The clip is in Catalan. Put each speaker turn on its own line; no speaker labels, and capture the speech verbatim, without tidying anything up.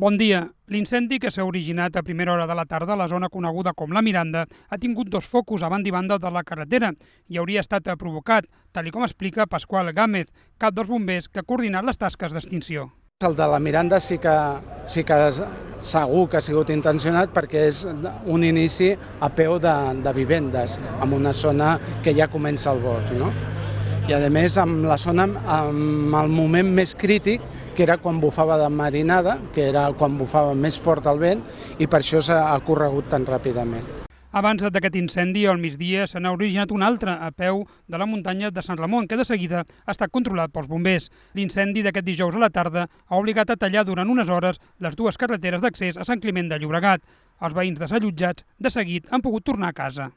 Bon dia. L'incendi que s'ha originat a primera hora de la tarda a la zona coneguda com la Miranda ha tingut dos focus a banda i banda de la carretera i hauria estat provocat, tal com explica Pasqual Gámez, cap dels bombers que ha coordinat les tasques d'extinció.
El de la Miranda sí que, sí que segur que ha sigut intencionat perquè és un inici a peu de, de vivendes, en una zona que ja comença el bosc, no? I a més amb la zona, amb el moment més crític, que era quan bufava de marinada, que era quan bufava més fort el vent, i per això s'ha corregut tan ràpidament.
Abans d'aquest incendi, al migdia, se n'ha originat un altre a peu de la muntanya de Sant Ramon, que de seguida ha estat controlat pels bombers. L'incendi d'aquest dijous a la tarda ha obligat a tallar durant unes hores les dues carreteres d'accés a Sant Climent de Llobregat. Els veïns desallotjats, de seguit, han pogut tornar a casa.